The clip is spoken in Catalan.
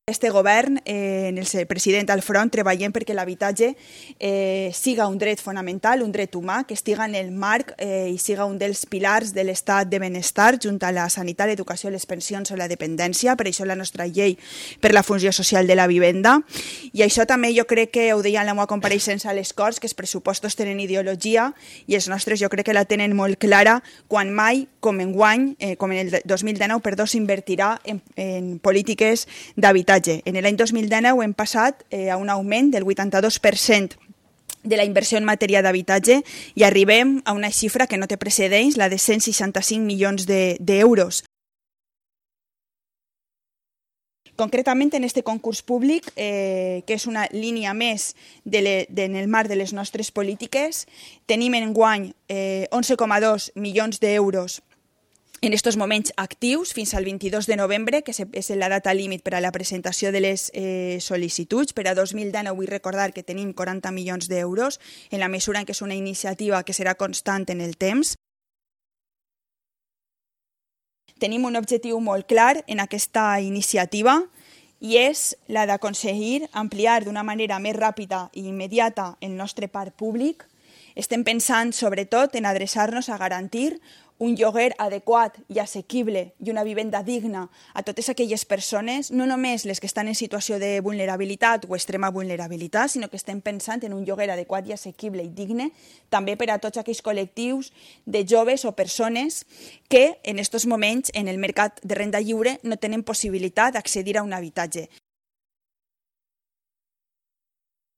Este govern, el president al front, treballem perquè l'habitatge siga un dret fonamental, un dret humà, que estiga en el marc i siga un dels pilars de l'estat de benestar, junt a la sanitat, l'educació, les pensions o la dependència. Per això la nostra llei per la funció social de la vivenda. I això també jo crec que ho deia en la meva compareixença a les Corts, que els pressupostos tenen ideologia i els nostres jo crec que la tenen molt clara quan mai, com en el 2019, s'invertirà en polítiques d'habitatge. En l'any 2019 hem passat a un augment del 82% de la inversió en matèria d'habitatge i arribem a una xifra que no té precedents, la de 165 milions d'euros. Concretament, en aquest concurs públic, que és una línia més en el marc de les nostres polítiques, tenim enguany 11,2 milions d'euros en aquests moments actius fins al 22 de novembre, que és la data límit per a la presentació de les sol·licituds. Per a 2019 vull recordar que tenim 40 milions d'euros, en la mesura en què és una iniciativa que serà constant en el temps. Tenim un objectiu molt clar en aquesta iniciativa i és la d'aconseguir ampliar d'una manera més ràpida i immediata el nostre parc públic. Estem pensant sobretot en adreçar-nos a garantir un lloguer adequat i assequible i una vivenda digna a totes aquelles persones, no només les que estan en situació de vulnerabilitat o extrema vulnerabilitat, sinó que estem pensant en un lloguer adequat i assequible i digne també per a tots aquells col·lectius de joves o persones que en aquests moments en el mercat de renda lliure no tenen possibilitat d'accedir a un habitatge.